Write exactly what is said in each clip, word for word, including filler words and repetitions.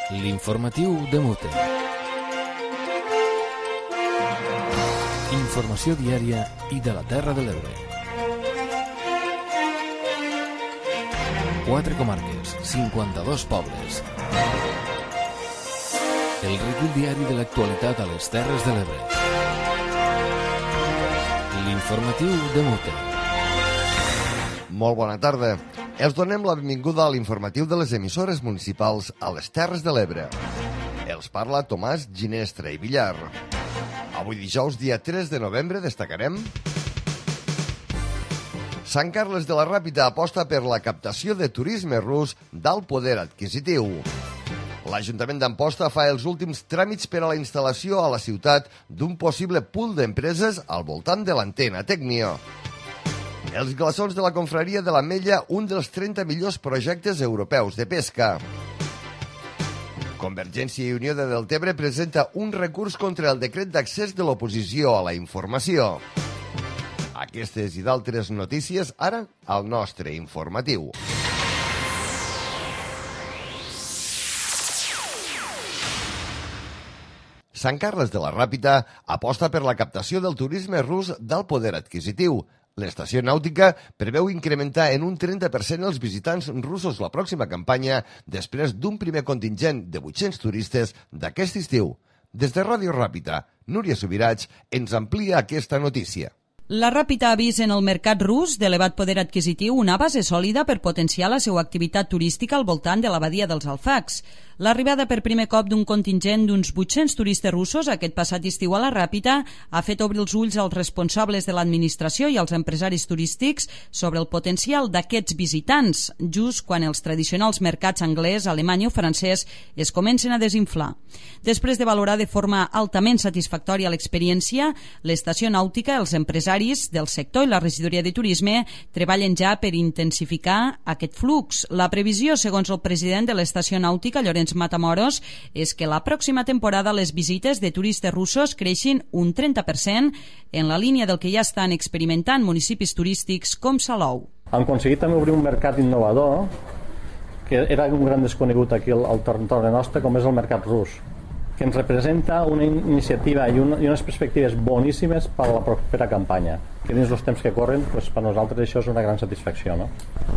L'informatiu de Mute. Informació diària i de la Terra de l'Ebre. Quatre comarques, cinquanta-dos pobles. El recull diari de l'actualitat a les Terres de l'Ebre. L'informatiu de Mute. Molt bona tarda. Els donem la benvinguda a l'informatiu de les emissores municipals a les Terres de l'Ebre. Els parla Tomàs Ginestra i Villar. Avui dijous, dia tres de novembre, destacarem... Sant Carles de la Ràpita aposta per la captació de turisme rus d'alt poder adquisitiu. L'Ajuntament d'Amposta fa els últims tràmits per a la instal·lació a la ciutat d'un possible pool d'empreses al voltant de l'antena Tecnio. Els glaçons de la confraria de l'Ametlla, un dels trenta millors projectes europeus de pesca. Convergència i Unió de Deltebre presenta un recurs contra el decret d'accés de l'oposició a la informació. Aquestes i d'altres notícies ara al nostre informatiu. Sant Carles de la Ràpita aposta per la captació del turisme rus d'alt poder adquisitiu. L'estació nàutica preveu incrementar en un trenta per cent els visitants russos la pròxima campanya després d'un primer contingent de vuit-cents turistes d'aquest estiu. Des de Ràdio Ràpita, Núria Subirats ens amplia aquesta notícia. La Ràpita ha vist en el mercat rus d'elevat poder adquisitiu una base sòlida per potenciar la seva activitat turística al voltant de la badia dels Alfacs. L'arribada per primer cop d'un contingent d'uns vuit-cents turistes russos aquest passat estiu a la Ràpita ha fet obrir els ulls als responsables de l'administració i als empresaris turístics sobre el potencial d'aquests visitants, just quan els tradicionals mercats anglès, alemany o francès es comencen a desinflar. Després de valorar de forma altament satisfactòria l'experiència, l'estació nàutica, els empresaris del sector i la regidoria de turisme treballen ja per intensificar aquest flux. La previsió, segons el president de l'estació nàutica, Llorenç Matamoros, és que la pròxima temporada les visites de turistes russos creixin un trenta per cent en la línia del que ja estan experimentant municipis turístics com Salou. Hem aconseguit també obrir un mercat innovador que era un gran desconegut aquí al, al territori nostre, com és el mercat rus, que ens representa una iniciativa i, una, i unes perspectives boníssimes per a la propera campanya, que dins els temps que corren, doncs, per nosaltres això és una gran satisfacció. No?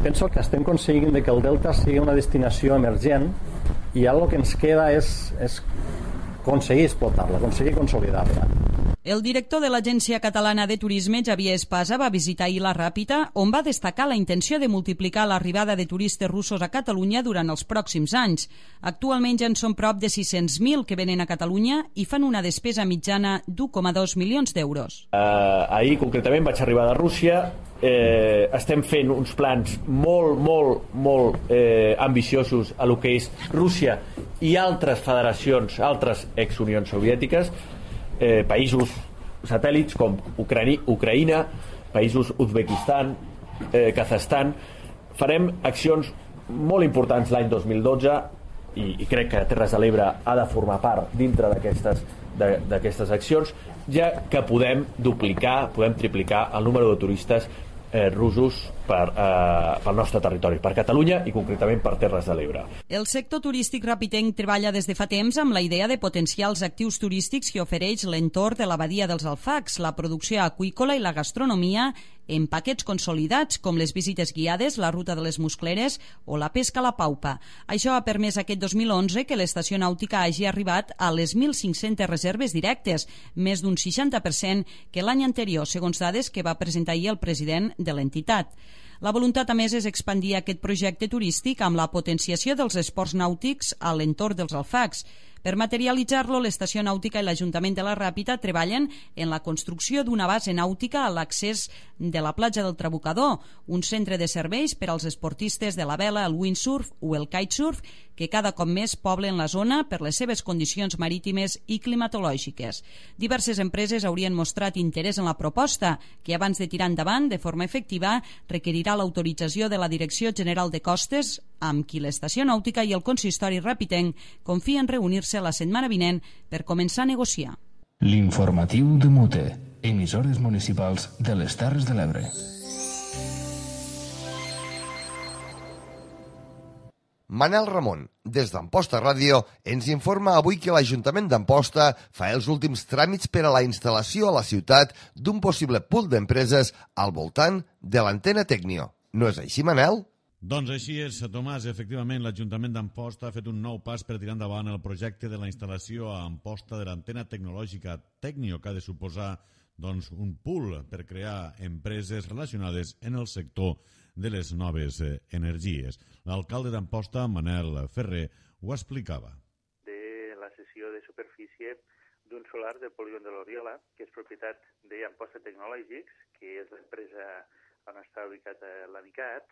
Penso que estem aconseguint que el Delta sigui una destinació emergent i ara el que ens queda és, és aconseguir explotar-la, aconseguir consolidar-la. El director de l'Agència Catalana de Turisme, Javier Espasa, va visitar ahir la Ràpita, on va destacar la intenció de multiplicar l'arribada de turistes russos a Catalunya durant els pròxims anys. Actualment ja en són prop de sis-cents mil que venen a Catalunya i fan una despesa mitjana d'u coma dos milions d'euros. Uh, ahir, concretament, vaig arribar de Rússia. Eh, estem fent uns plans molt, molt, molt eh, ambiciosos a lo que és Rússia i altres federacions, altres ex-unions soviètiques, eh, països satèl·lits com Ucraïna, Ucraïna països Uzbekistan, eh, Kazakhstan. Farem accions molt importants l'any dos mil dotze i, i crec que Terres de l'Ebre ha de formar part dintre d'aquestes d'aquestes accions, ja que podem duplicar, podem triplicar el número de turistes eh, russos per, eh, pel nostre territori, per Catalunya i concretament per Terres de l'Ebre. El sector turístic rapitenc treballa des de fa temps amb la idea de potenciar els actius turístics que ofereix l'entorn de la badia dels Alfacs, la producció aqüícola i la gastronomia en paquets consolidats com les visites guiades, la ruta de les muscleres o la pesca a la paupa. Això ha permès aquest dos mil onze que l'estació nàutica hagi arribat a les mil cinc-centes reserves directes, més d'un seixanta per cent que l'any anterior, segons dades que va presentar ahir el president de l'entitat. La voluntat, a més, és expandir aquest projecte turístic amb la potenciació dels esports nàutics a l'entorn dels Alfacs. Per materialitzar-lo, l'estació nàutica i l'Ajuntament de la Ràpita treballen en la construcció d'una base nàutica a l'accés de la platja del Trabucador, un centre de serveis per als esportistes de la vela, el windsurf o el kitesurf, que cada cop més poblen la zona per les seves condicions marítimes i climatològiques. Diverses empreses haurien mostrat interès en la proposta, que abans de tirar endavant de forma efectiva requerirà l'autorització de la Direcció General de Costes, amb qui l'estació nàutica i el consistori ràpitenc confien reunir-se la setmana vinent per començar a negociar. L'informatiu de Mute, emissores municipals de les Terres de l'Ebre. Manel Ramon, des d'Amposta Ràdio, ens informa avui que l'Ajuntament d'Amposta fa els últims tràmits per a la instal·lació a la ciutat d'un possible pool d'empreses al voltant de l'antena Tecnio. No és així, Manel? Doncs així és, Tomàs. Efectivament, l'Ajuntament d'Amposta ha fet un nou pas per tirar endavant el projecte de la instal·lació a Amposta de l'antena tecnològica Tecnio, que ha de suposar doncs, un pool per crear empreses relacionades en el sector de les noves eh, energies. L'alcalde d'Amposta, Manel Ferrer, ho explicava. De la cessió de superfície d'un solar del polígon de l'Oriola, que és propietat d'Amposta Technologies, que és l'empresa on està ubicat l'Amicat,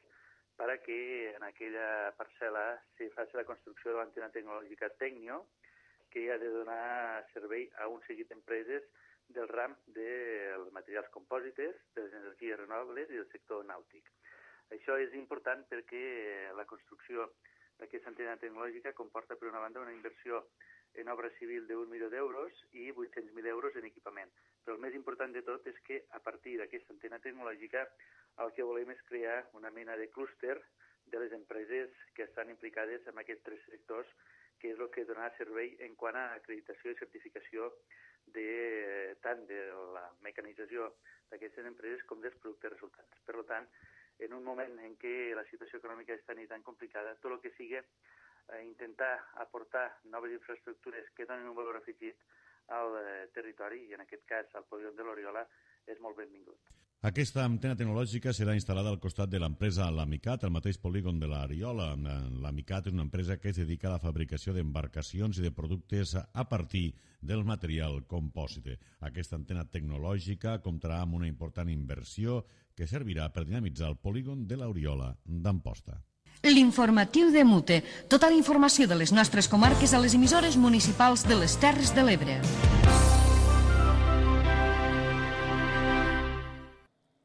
perquè en aquella parcel·la se faci la construcció de l'antena tecnològica Tecnio, que ha de donar servei a un seguit d'empreses del ram dels materials compòsites, de les energies renovables i del sector nàutic. Això és important perquè la construcció d'aquesta antena tecnològica comporta, per una banda, una inversió en obra civil d'un milió d'euros i vuit-cents mil euros en equipament. Però el més important de tot és que, a partir d'aquesta antena tecnològica, el que volem és crear una mena de clúster de les empreses que estan implicades en aquests tres sectors, que és el que donarà servei en quant a acreditació i certificació de, tant de la mecanització d'aquestes empreses com dels productes resultants. Per tant, en un moment en què la situació econòmica és tan i tan complicada, tot el que sigui eh, intentar aportar noves infraestructures que donin un valor afegit al eh, territori, i en aquest cas al polígon de l'Oriola, és molt benvingut. Aquesta antena tecnològica serà instal·lada al costat de l'empresa L'Amicat, al mateix polígon de l'Oriola. L'Amicat és una empresa que es dedica a la fabricació d'embarcacions i de productes a partir del material compòsite. Aquesta antena tecnològica comptarà amb una important inversió que servirà per dinamitzar el polígon de l'Oriola d'Amposta. L'informatiu de Mute. Tota la informació de les nostres comarques a les emissores municipals de les Terres de l'Ebre.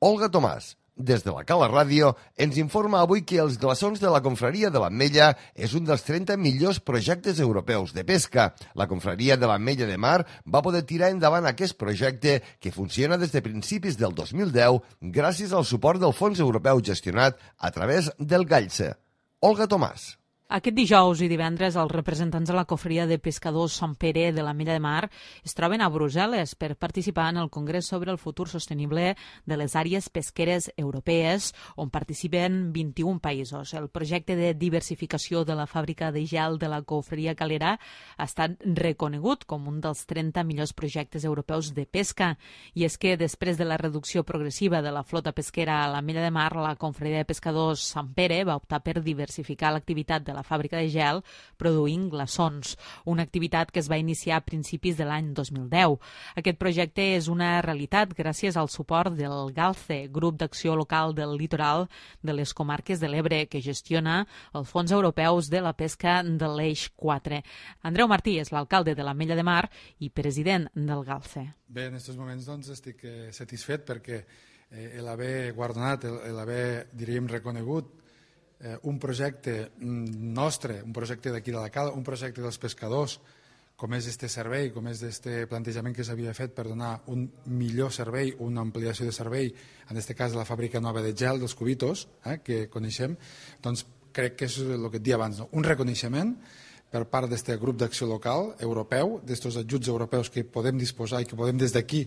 Olga Tomàs, des de la Cala Ràdio, ens informa avui que els glaçons de la Confraria de l'Ametlla és un dels trenta millors projectes europeus de pesca. La Confraria de l'Ametlla de Mar va poder tirar endavant aquest projecte que funciona des de principis del dos mil deu gràcies al suport del fons europeu gestionat a través del Gallse. Olga Tomàs. Aquest dijous i divendres els representants de la Cofreria de Pescadors Sant Pere de l'Ametlla de Mar es troben a Brussel·les per participar en el Congrés sobre el futur sostenible de les àrees pesqueres europees, on participen vint-i-un països. El projecte de diversificació de la fàbrica de gel de la Cofreria Calera ha estat reconegut com un dels trenta millors projectes europeus de pesca. I és que després de la reducció progressiva de la flota pesquera a l'Ametlla de Mar, la Cofreria de Pescadors Sant Pere va optar per diversificar l'activitat de la fàbrica de gel produint glaçons, una activitat que es va iniciar a principis de l'any dos mil deu. Aquest projecte és una realitat gràcies al suport del GALCE, Grup d'Acció Local del Litoral de les Comarques de l'Ebre, que gestiona els fons europeus de la pesca de l'Eix quatre. Andreu Martí és l'alcalde de l'Ametlla de Mar i president del GALCE. Bé, en aquests moments doncs, estic eh, satisfet perquè eh, l'haver guardonat, l'haver, diríem, reconegut Eh, un projecte nostre, un projecte d'aquí de la Cala, un projecte dels pescadors, com és este servei, com és este plantejament que s'havia fet per donar un millor servei, una ampliació de servei, en aquest cas la fàbrica nova de gel dels Cubitos, eh, que coneixem, doncs crec que és el que et dia abans, no? Un reconeixement per part d'aquest grup d'acció local europeu, d'aquests ajuts europeus que podem disposar i que podem des d'aquí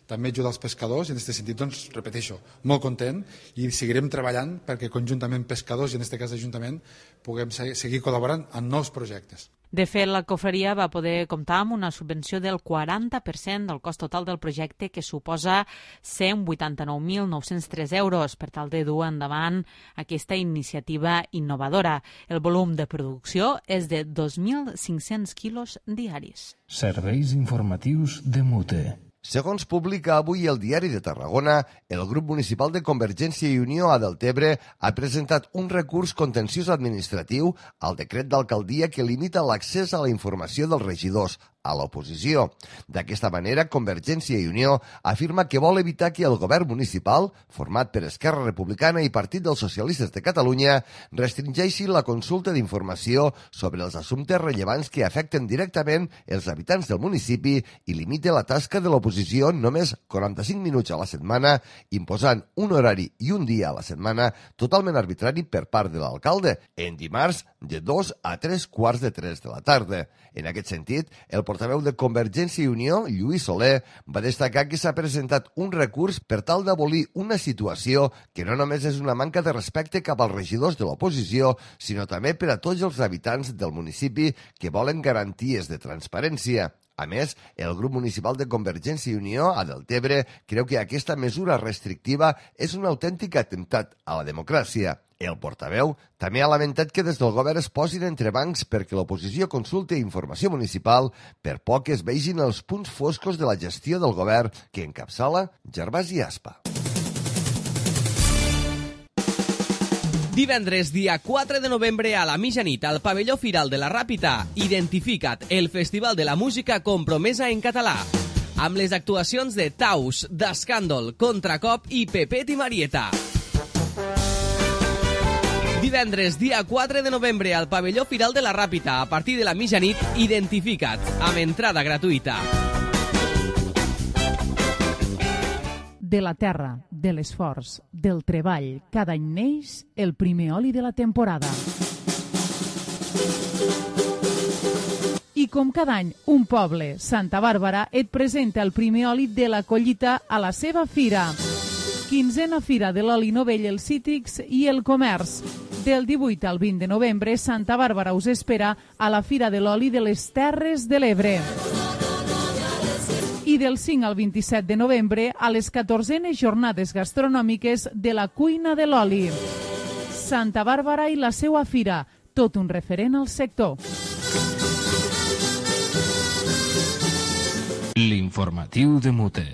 també ajudar els pescadors, i en aquest sentit, doncs, repeteixo, molt content, i seguirem treballant perquè conjuntament pescadors, i en aquest cas Ajuntament, puguem seguir col·laborant en nous projectes. De fet, la cofreria va poder comptar amb una subvenció del quaranta per cent del cost total del projecte, que suposa cent vuitanta-nou mil nou-cents tres euros, per tal de dur endavant aquesta iniciativa innovadora. El volum de producció és de dos mil cinc-cents quilos diaris. Serveis informatius de Mute. Segons publica avui el Diari de Tarragona, el grup municipal de Convergència i Unió a Deltebre ha presentat un recurs contenciós administratiu al decret d'alcaldia que limita l'accés a la informació dels regidors a l'oposició. D'aquesta manera, Convergència i Unió afirma que vol evitar que el govern municipal, format per Esquerra Republicana i Partit dels Socialistes de Catalunya, restringeixi la consulta d'informació sobre els assumptes rellevants que afecten directament els habitants del municipi i limite la tasca de l'oposició només quaranta-cinc minuts a la setmana, imposant un horari i un dia a la setmana totalment arbitrari per part de l'alcalde, en dimarts de dos a tres quarts de tres de la tarda. En aquest sentit, el portaveu de Convergència i Unió, Lluís Soler, va destacar que s'ha presentat un recurs per tal d'abolir una situació que no només és una manca de respecte cap als regidors de l'oposició, sinó també per a tots els habitants del municipi que volen garanties de transparència. A més, el grup municipal de Convergència i Unió a Deltebre creu que aquesta mesura restrictiva és un autèntic atemptat a la democràcia. El portaveu també ha lamentat que des del govern es posin entrebancs perquè l'oposició consulte informació municipal per poc que es vegin els punts foscos de la gestió del govern que encapçala Gervasi Aspa. Divendres, dia quatre de novembre, a la mitjanit, al pavelló Firal de la Ràpita, Identifica't, el Festival de la Música compromesa en català, amb les actuacions de Taus, d'Escàndol, Contracop i Pepet i Marieta. Divendres, dia quatre de novembre, al pavelló Firal de la Ràpita, a partir de la mitjanit, Identifica't, amb entrada gratuïta. De la terra, de l'esforç, del treball, cada any neix el primer oli de la temporada. I com cada any, un poble, Santa Bàrbara, et presenta el primer oli de la collita a la seva fira. Quinzena Fira de l'Oli Novell, els Cítrics i el Comerç. Del divuit al vint de novembre, Santa Bàrbara us espera a la Fira de l'Oli de les Terres de l'Ebre. I del cinc al vint-i-set de novembre a les catorzenes jornades gastronòmiques de la cuina de l'oli. Santa Bàrbara i la seua fira, tot un referent al sector. L'informatiu de Mute.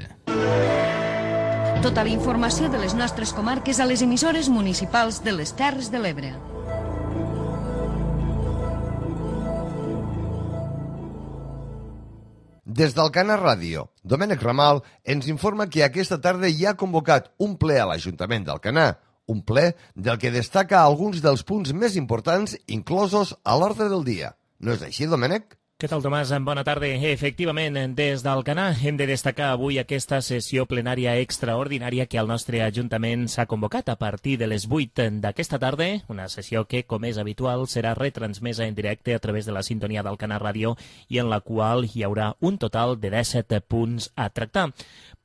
Tota la informació de les nostres comarques a les emissores municipals de les Terres de l'Ebre. Des d'Alcana Ràdio, Domènec Ramal ens informa que aquesta tarda hi ha convocat un ple a l'Ajuntament d'Alcanar, un ple del que destaca alguns dels punts més importants inclosos a l'ordre del dia. No és així, Domènec? Què tal, Tomàs? Bona tarda. Efectivament, des d'Alcanar hem de destacar avui aquesta sessió plenària extraordinària que el nostre Ajuntament s'ha convocat a partir de les vuit d'aquesta tarda, una sessió que, com és habitual, serà retransmesa en directe a través de la sintonia d'Alcanar Ràdio i en la qual hi haurà un total de disset punts a tractar.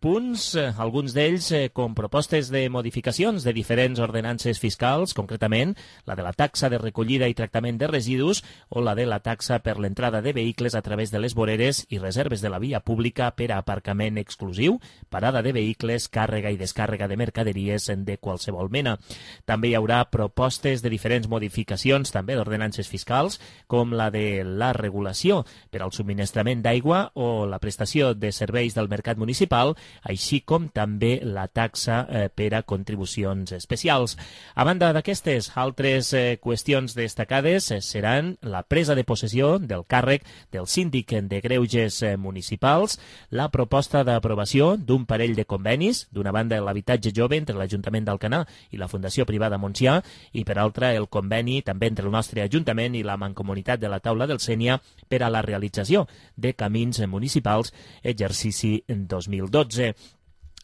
Punts, alguns d'ells com propostes de modificacions de diferents ordenances fiscals, concretament la de la taxa de recollida i tractament de residus o la de la taxa per l'entrada de vehicles a través de les voreres i reserves de la via pública per a aparcament exclusiu, parada de vehicles, càrrega i descàrrega de mercaderies de qualsevol mena. També hi haurà propostes de diferents modificacions, també d'ordenances fiscals, com la de la regulació per al subministrament d'aigua o la prestació de serveis del mercat municipal, així com també la taxa eh, per a contribucions especials. A banda d'aquestes, altres eh, qüestions destacades eh, seran la presa de possessió del càrrec del síndic de greuges eh, municipals, la proposta d'aprovació d'un parell de convenis, d'una banda l'habitatge jove entre l'Ajuntament d'Alcanar i la Fundació Privada Montsià, i per altra el conveni també entre el nostre Ajuntament i la Mancomunitat de la Taula del Sénia per a la realització de camins municipals exercici dos mil dotze.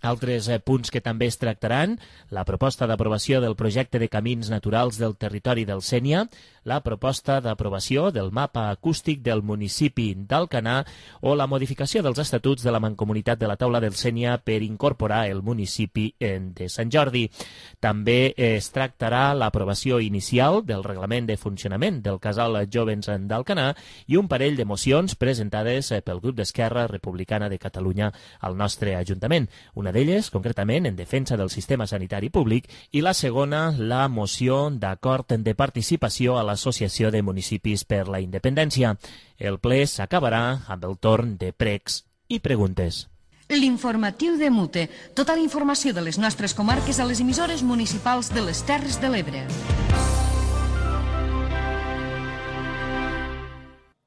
Altres eh, punts que també es tractaran, la proposta d'aprovació del projecte de camins naturals del territori del Sénia, la proposta d'aprovació del mapa acústic del municipi d'Alcanar o la modificació dels estatuts de la Mancomunitat de la Taula del Sénia per incorporar el municipi de Sant Jordi. També es tractarà l'aprovació inicial del reglament de funcionament del Casal Jovens d'Alcanar i un parell de mocions presentades pel grup d'Esquerra Republicana de Catalunya al nostre Ajuntament. Una d'elles, concretament, en defensa del sistema sanitari públic, i la segona, la moció d'acord de participació a l'Associació de Municipis per la Independència. El ple s'acabarà amb el torn de pregs i preguntes. L'informatiu de Mute. Tota la informació de les nostres comarques a les emissores municipals de les Terres de l'Ebre.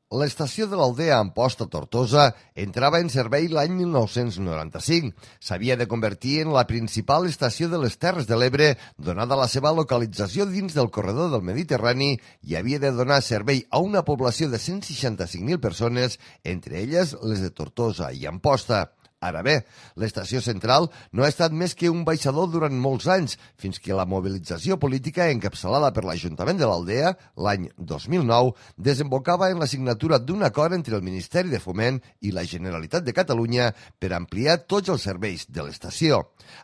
L'estació de l'Aldea Amposta Tortosa entrava en servei l'any mil nou-cents noranta-cinc. S'havia de convertir en la principal estació de les Terres de l'Ebre, donada la seva localització dins del corredor del Mediterrani, i havia de donar servei a una població de cent seixanta-cinc mil persones, entre elles les de Tortosa i Amposta. Ara bé, l'estació central no ha estat més que un baixador durant molts anys, fins que la mobilització política encapçalada per l'Ajuntament de l'Aldea, l'any dos mil nou, desembocava en la signatura d'un acord entre el Ministeri de Foment i la Generalitat de Catalunya per ampliar tots els serveis de l'estació.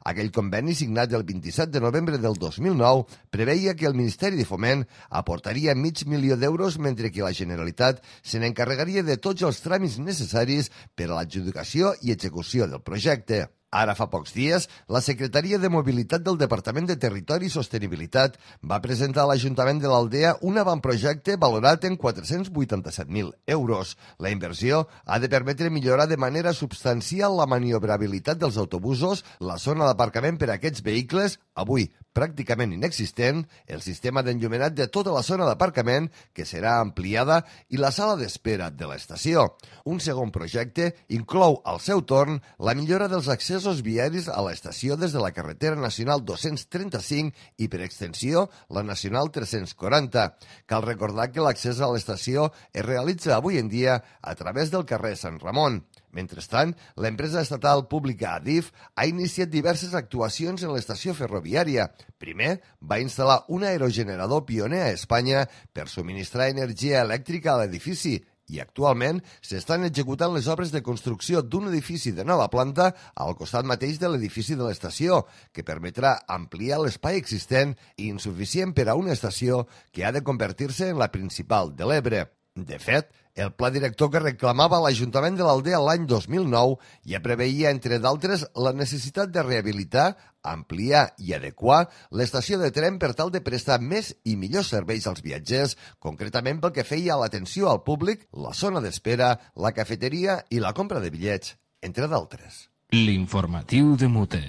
Aquell conveni, signat el vint-i-set de novembre del dos mil nou, preveia que el Ministeri de Foment aportaria mig milió d'euros, mentre que la Generalitat se n'encarregaria de tots els tràmits necessaris per a l'adjudicació i execució del projecte. Ara fa pocs dies, la Secretaria de Mobilitat del Departament de Territori i Sostenibilitat va presentar a l'Ajuntament de l'Aldea un avantprojecte valorat en quatre-cents vuitanta-set mil euros. La inversió ha de permetre millorar de manera substancial la maniobrabilitat dels autobusos, la zona d'aparcament per a aquests vehicles, avui pràcticament inexistent, el sistema d'enllumenat de tota la zona d'aparcament, que serà ampliada, i la sala d'espera de l'estació. Un segon projecte inclou, al seu torn, la millora dels accessos viaris a l'estació des de la carretera nacional dos-cents trenta-cinc i, per extensió, la nacional tres-cents quaranta. Cal recordar que l'accés a l'estació es realitza avui en dia a través del carrer Sant Ramon. Mentrestant, l'empresa estatal pública Adif ha iniciat diverses actuacions en l'estació ferroviària. Primer, va instal·lar un aerogenerador pioner a Espanya per subministrar energia elèctrica a l'edifici i actualment s'estan executant les obres de construcció d'un edifici de nova planta al costat mateix de l'edifici de l'estació, que permetrà ampliar l'espai existent i insuficient per a una estació que ha de convertir-se en la principal de l'Ebre. De fet, el pla director que reclamava l'Ajuntament de l'Aldea l'any dos mil nou ja preveia, entre d'altres, la necessitat de rehabilitar, ampliar i adequar l'estació de tren per tal de prestar més i millors serveis als viatgers, concretament pel que feia a l'atenció al públic, la zona d'espera, la cafeteria i la compra de bitllets, entre d'altres. L'informatiu de Mute.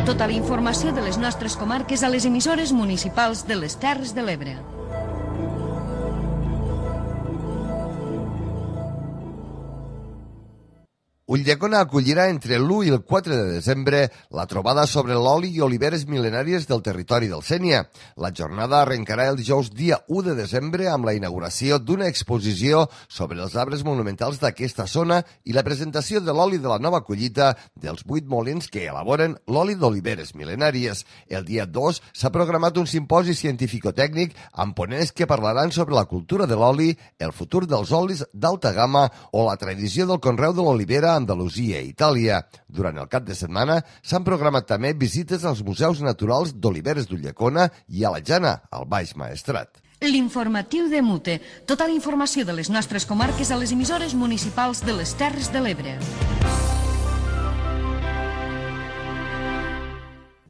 Tota la informació de les nostres comarques a les emissores municipals de les Terres de l'Ebre. Ulldecona acollirà entre l'u i el quatre de desembre la trobada sobre l'oli i oliveres mil·lenàries del territori del Sénia. La jornada arrencarà el dijous dia u de desembre amb la inauguració d'una exposició sobre els arbres monumentals d'aquesta zona i la presentació de l'oli de la nova collita dels vuit molins que elaboren l'oli d'oliveres mil·lenàries. El dia dos s'ha programat un simposi científico-tècnic amb ponents que parlaran sobre la cultura de l'oli, el futur dels olis d'alta gamma o la tradició del conreu de l'olivera a Andalusia i Itàlia. Durant el cap de setmana s'han programat també visites als museus naturals d'Oliveres d'Ulldecona i a la Jana, al Baix Maestrat. L'informatiu de Mute. Tota la informació de les nostres comarques a les emissores municipals de les Terres de l'Ebre.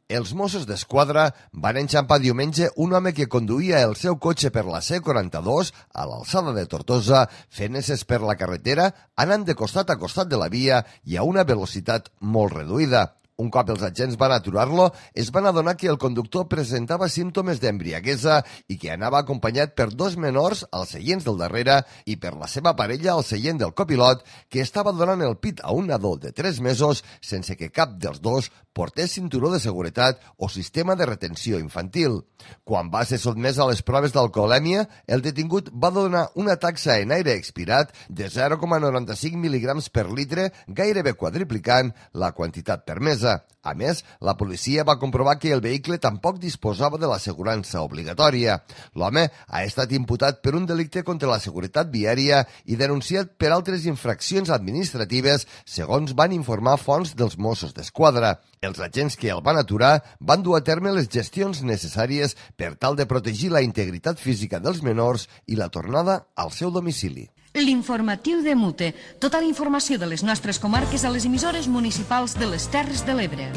Els Mossos d'Esquadra van enxampar diumenge un home que conduïa el seu cotxe per la C quaranta-dos a l'alçada de Tortosa, fent esses per la carretera, anant de costat a costat de la via i a una velocitat molt reduïda. Un cop els agents van aturar-lo, es van adonar que el conductor presentava símptomes d'embriaguesa i que anava acompanyat per dos menors als seients del darrere i per la seva parella al seient del copilot, que estava donant el pit a un nadó de tres mesos sense que cap dels dos portés cinturó de seguretat o sistema de retenció infantil. Quan va ser sotmès a les proves d'alcoholèmia, el detingut va donar una taxa en aire expirat de zero coma noranta-cinc mil·ligrams per litre, gairebé quadriplicant la quantitat permesa. A més, la policia va comprovar que el vehicle tampoc disposava de l'assegurança obligatòria. L'home ha estat imputat per un delicte contra la seguretat viària i denunciat per altres infraccions administratives, segons van informar fonts dels Mossos d'Esquadra. Els agents que el van aturar van dur a terme les gestions necessàries per tal de protegir la integritat física dels menors i la tornada al seu domicili. L'informatiu de Mute. Tota la informació de les nostres comarques a les emissores municipals de les Terres de l'Ebre.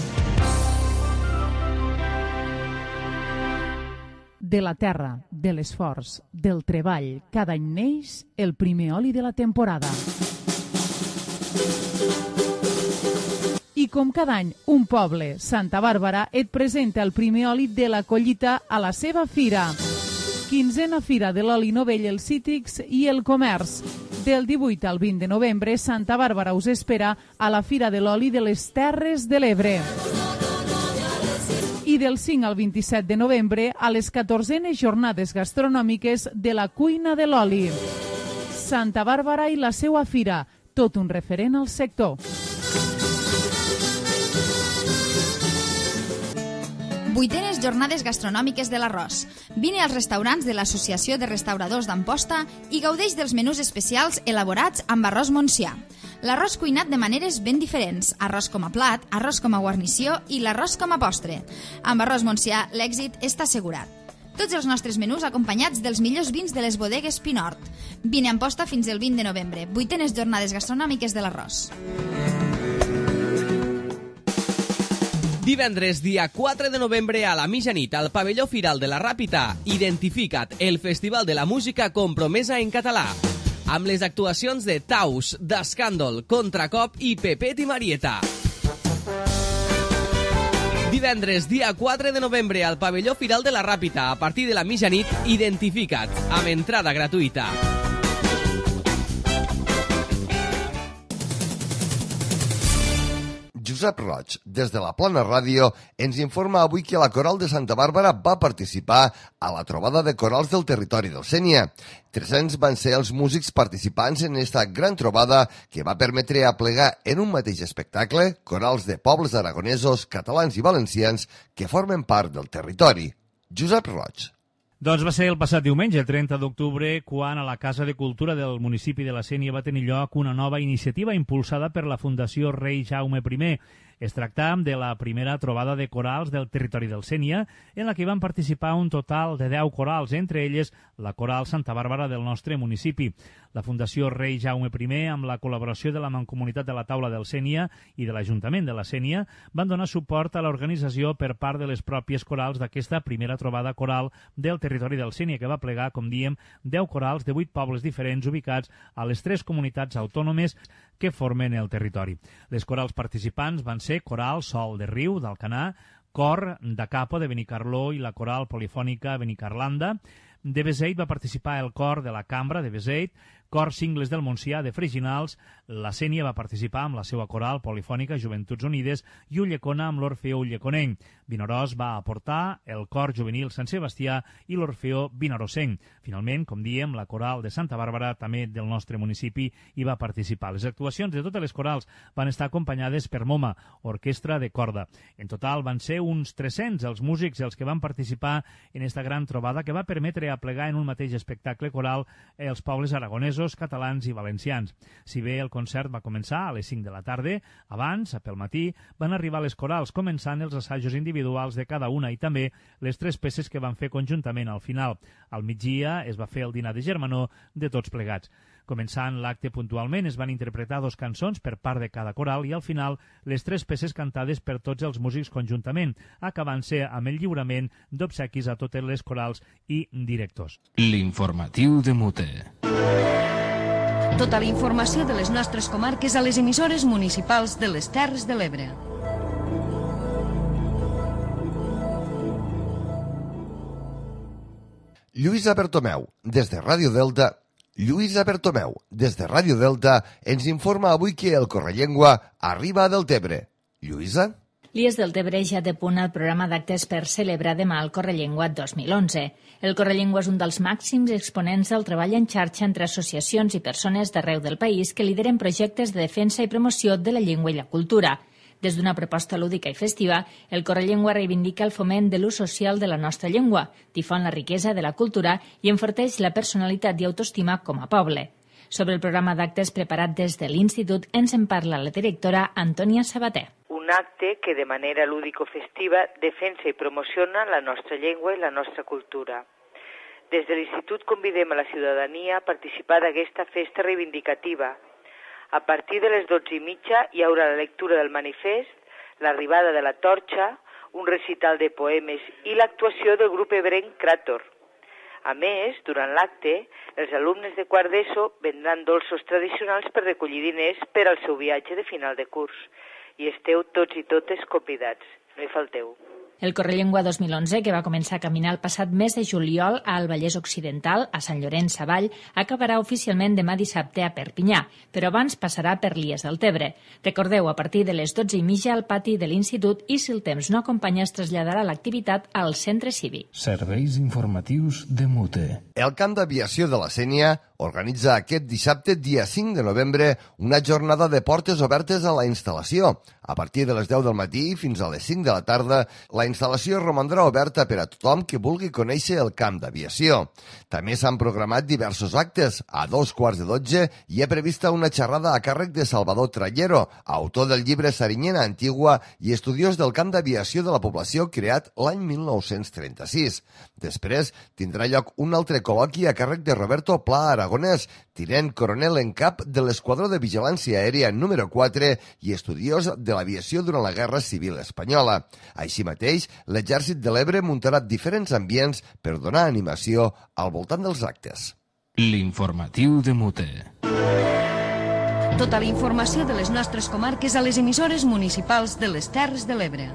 De la terra, de l'esforç, del treball, cada any neix el primer oli de la temporada. I com cada any, un poble, Santa Bàrbara, et presenta el primer oli de la collita a la seva fira. quinzena Fira de l'Oli Novell, el Cítrics i el Comerç. Del divuit al vint de novembre, Santa Bàrbara us espera a la Fira de l'Oli de les Terres de l'Ebre. I del cinc al vint-i-set de novembre a les catorzenes jornades gastronòmiques de la cuina de l'oli. Santa Bàrbara i la seua fira, tot un referent al sector. Vuitenes jornades gastronòmiques de l'arròs. Vine als restaurants de l'Associació de Restauradors d'Amposta i gaudeix dels menús especials elaborats amb arròs montsià. L'arròs cuinat de maneres ben diferents, arròs com a plat, arròs com a guarnició i l'arròs com a postre. Amb arròs montsià l'èxit està assegurat. Tots els nostres menús acompanyats dels millors vins de les bodegues Pinort. Vine a Amposta fins el vint de novembre, vuitenes jornades gastronòmiques de l'arròs. Divendres, dia quatre de novembre, a la mitjanit, al pavelló Firal de la Ràpita, identifica't el Festival de la Música Compromesa en Català, amb les actuacions de Taus, d'Escàndol, Contracop i Pepet i Marieta. Divendres, dia quatre de novembre, al pavelló Firal de la Ràpita, a partir de la mitjanit, identifica't, amb entrada gratuïta. Josep Roig, des de la Plana Ràdio, ens informa avui que la Coral de Santa Bàrbara va participar a la trobada de corals del territori del Sénia. tres-cents van ser els músics participants en esta gran trobada que va permetre aplegar en un mateix espectacle corals de pobles aragonesos, catalans i valencians que formen part del territori. Josep Roig. Doncs va ser el passat diumenge, trenta d'octubre, quan a la Casa de Cultura del municipi de la Sénia va tenir lloc una nova iniciativa impulsada per la Fundació Rei Jaume primer. Es tracta de la primera trobada de corals del territori del Sénia, en la que van participar un total de deu corals, entre elles la Coral Santa Bàrbara del nostre municipi. La Fundació Rei Jaume primer, amb la col·laboració de la Mancomunitat de la Taula del Sénia i de l'Ajuntament de la Sénia, van donar suport a l'organització per part de les pròpies corals d'aquesta primera trobada coral del territori del Sénia, que va plegar, com diem, deu corals de vuit pobles diferents ubicats a les tres comunitats autònomes que formen el territori. Les corals participants van ser Coral Sol de Riu, d'Alcanar, Cor de Capo, de Benicarló, i la Coral Polifònica Benicarlanda. De Beseit va participar el Cor de la Cambra de Beseit, Cor Cingles del Montsià de Freginals, la Sénia va participar amb la seva coral polifònica Joventuts Unides i Ullecona amb l'Orfeó Ulleconenc. Vinaròs va aportar el Cor Juvenil Sant Sebastià i l'Orfeó Vinarosenc. Finalment, com diem, la coral de Santa Bàrbara, també del nostre municipi, hi va participar. Les actuacions de totes les corals van estar acompanyades per MoMA, orquestra de corda. En total van ser uns tres-cents els músics els que van participar en esta gran trobada que va permetre aplegar en un mateix espectacle coral els pobles aragonesos, catalans i valencians. Si bé el concert va començar a les cinc de la tarda, abans, pel matí, van arribar les corals, començant els assajos individuals de cada una i també les tres peces que van fer conjuntament al final. Al migdia es va fer el dinar de germanor de tots plegats. Començant l'acte puntualment, es van interpretar dos cançons per part de cada coral i al final les tres peces cantades per tots els músics conjuntament, acabant-se amb el lliurament d'obsequis a totes les corals i directors. L'informatiu de Mute. Tota la informació de les nostres comarques a les emissores municipals de les Terres de l'Ebre. Lluïsa Bertomeu, des de Ràdio Delta, Lluïsa Bertomeu, des de Ràdio Delta, ens informa avui que el Correllengua arriba a Deltebre. Lluïsa? L'I E S Deltebre ja té punt el programa d'actes per celebrar demà el Correllengua dos mil onze. El Correllengua és un dels màxims exponents del treball en xarxa entre associacions i persones d'arreu del país que lideren projectes de defensa i promoció de la llengua i la cultura. Des d'una proposta lúdica i festiva, el Correllengua reivindica el foment de l'ús social de la nostra llengua, difon la riquesa de la cultura i enforteix la personalitat i autoestima com a poble. Sobre el programa d'actes preparat des de l'Institut ens en parla la directora Antònia Sabater. Un acte que de manera lúdico-festiva defensa i promociona la nostra llengua i la nostra cultura. Des de l'Institut convidem a la ciutadania a participar d'aquesta festa reivindicativa. A partir de les dotze i mitja hi haurà la lectura del manifest, l'arribada de la torxa, un recital de poemes i l'actuació del grup ebrenc Cràtor. A més, durant l'acte, els alumnes de quart d'ESO vendran dolços tradicionals per recollir diners per al seu viatge de final de curs. I esteu tots i totes convidats. No hi falteu. El Correllengua dos mil onze, que va començar a caminar el passat mes de juliol al Vallès Occidental, a Sant Llorenç Savall, acabarà oficialment demà dissabte a Perpinyà, però abans passarà per Lies del Tebre. Recordeu, a partir de les dotze i mitja al pati de l'Institut i, si el temps no acompanya, es traslladarà l'activitat al Centre Cívic. Serveis informatius de Mute. El Camp d'Aviació de la Sénia organitza aquest dissabte, dia cinc de novembre, una jornada de portes obertes a la instal·lació. A partir de les deu del matí fins a les cinc de la tarda, la instal·lació romandrà oberta per a tothom que vulgui conèixer el camp d'aviació. També s'han programat diversos actes. A dos quarts de dotze hi ha prevista una xerrada a càrrec de Salvador Trallero, autor del llibre Sarinyena Antigua i estudiós del camp d'aviació de la població creat l'any mil nou-cents trenta-sis. Després tindrà lloc un altre col·loqui a càrrec de Roberto Pla Aragonès, tinent coronel en cap de l'Esquadró de Vigilància Aèria número quatre i estudiós de l'aviació durant la Guerra Civil Espanyola. Així mateix, l'Exèrcit de l'Ebre muntarà diferents ambients per donar animació al voltant dels actes. L'informatiu de Mute. Tota la informació de les nostres comarques a les emissores municipals de les Terres de l'Ebre.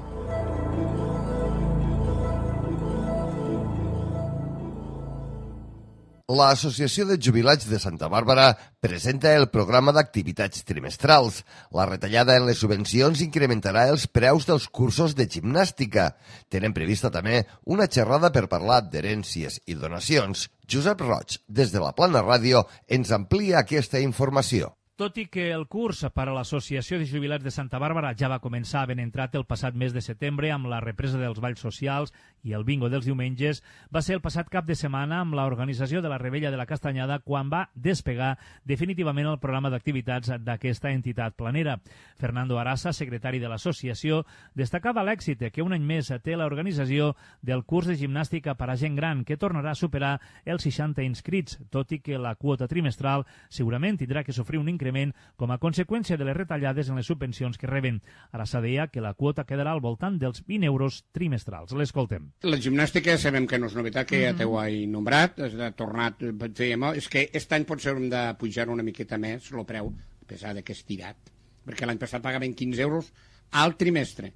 L'Associació de Jubilats de Santa Bàrbara presenta el programa d'activitats trimestrals. La retallada en les subvencions incrementarà els preus dels cursos de gimnàstica. Tenen prevista també una xerrada per parlar d'herències i donacions. Josep Roig, des de la Plana Ràdio, ens amplia aquesta informació. Tot i que el curs per a l'Associació de Jubilats de Santa Bàrbara ja va començar ben entrat el passat mes de setembre amb la represa dels balls socials i el bingo dels diumenges, va ser el passat cap de setmana amb l'organització de la Rebella de la Castanyada quan va despegar definitivament el programa d'activitats d'aquesta entitat planera. Fernando Arasa, secretari de l'associació, destacava l'èxit que un any més té l'organització del curs de gimnàstica per a gent gran, que tornarà a superar els seixanta inscrits, tot i que la quota trimestral segurament tindrà que sofrir un increment com a conseqüència de les retallades en les subvencions que reben. Ara s'ha deia que la quota quedarà al voltant dels vint euros trimestrals. L'escoltem. La gimnàstica sabem que no és novetat, que ja t'ho he nombrat, ha tornat, fèiem, és que aquest any potser hem de pujar una miqueta més el preu, a pesar que és tirat, perquè l'any passat pagaven quinze euros al trimestre,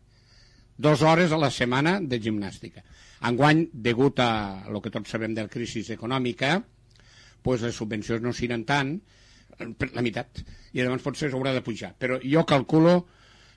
dues hores a la setmana de gimnàstica. Enguany, degut a el que tots sabem de la crisi econòmica, pues les subvencions no seran tant, la meitat, i llavors potser s'haurà de pujar, però jo calculo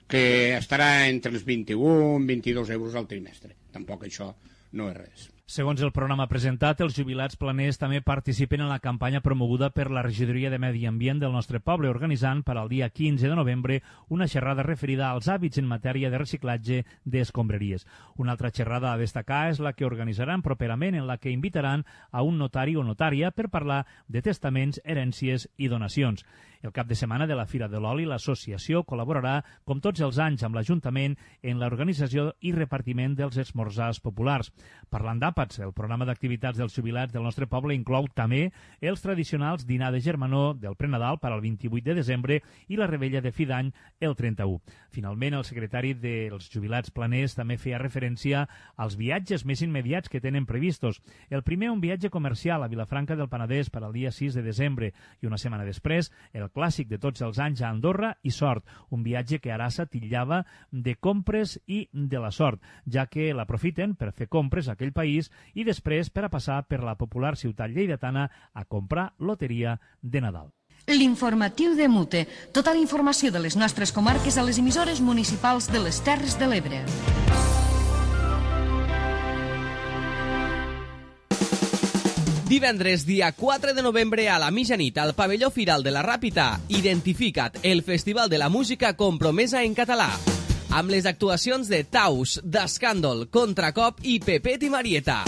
que estarà entre els vint-i-un i vint-i-dos euros al trimestre. Tampoc això no és res. Segons el programa presentat, els jubilats planers també participen en la campanya promoguda per la Regidoria de Medi Ambient del nostre poble, organitzant per al dia quinze de novembre una xerrada referida als hàbits en matèria de reciclatge d'escombraries. Una altra xerrada a destacar és la que organitzaran properament, en la que invitaran a un notari o notària per parlar de testaments, herències i donacions. El cap de setmana de la Fira de l'Oli, l'associació col·laborarà, com tots els anys, amb l'Ajuntament en l'organització i repartiment dels esmorzars populars. Parlant d'àpats, el programa d'activitats dels jubilats del nostre poble inclou també els tradicionals dinar de germanor del prenadal per al vint-i-vuit de desembre i la rebella de fi d'any el trenta-u. Finalment, el secretari dels jubilats planers també feia referència als viatges més immediats que tenen previstos. El primer, un viatge comercial a Vilafranca del Penedès per al dia sis de desembre i una setmana després, el clàssic de tots els anys a Andorra i Sort, un viatge que Arasa titllava de compres i de la sort, ja que l'aprofiten per fer compres a aquell país i després per a passar per la popular ciutat lleidatana a comprar loteria de Nadal. L'informatiu de Mute. Tota la informació de les nostres comarques a les emissores municipals de les Terres de l'Ebre. Divendres, dia quatre de novembre, a la mitjanit, al pavelló Firal de la Ràpita, Identifica't, el festival de la música compromesa en català. Amb les actuacions de Taus, d'Escàndol, Contracop i Pepet i Marieta.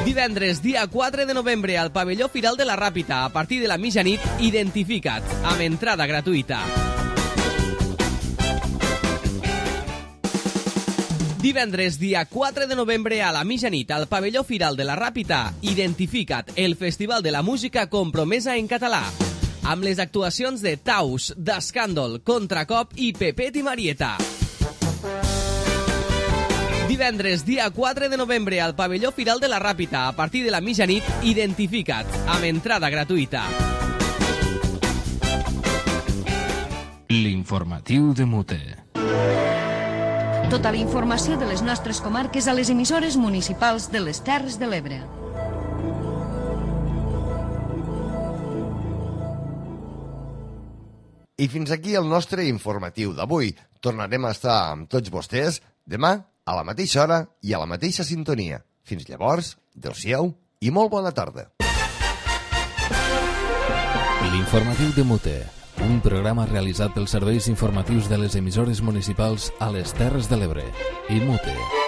Divendres, dia quatre de novembre, al pavelló Firal de la Ràpita, a partir de la mitjanit, Identifica't, amb entrada gratuïta. Divendres, dia quatre de novembre, a la mitjanit, al pavelló Firal de la Ràpita, Identifica't, el festival de la música compromesa en català. Amb les actuacions de Taus, d'Escàndol, Contracop i Pepet i Marieta. Divendres, dia quatre de novembre, al pavelló Firal de la Ràpita, a partir de la mitjanit, Identifica't, amb entrada gratuïta. L'informatiu de Mute. Tota la informació de les nostres comarques a les emissores municipals de les Terres de l'Ebre. I fins aquí el nostre informatiu d'avui. Tornarem a estar amb tots vostès demà a la mateixa hora i a la mateixa sintonia. Fins llavors, adéu-siau i molt bona tarda. L'informatiu de Mute, un programa realitzat pels serveis informatius de les emissores municipals a les Terres de l'Ebre i Mute.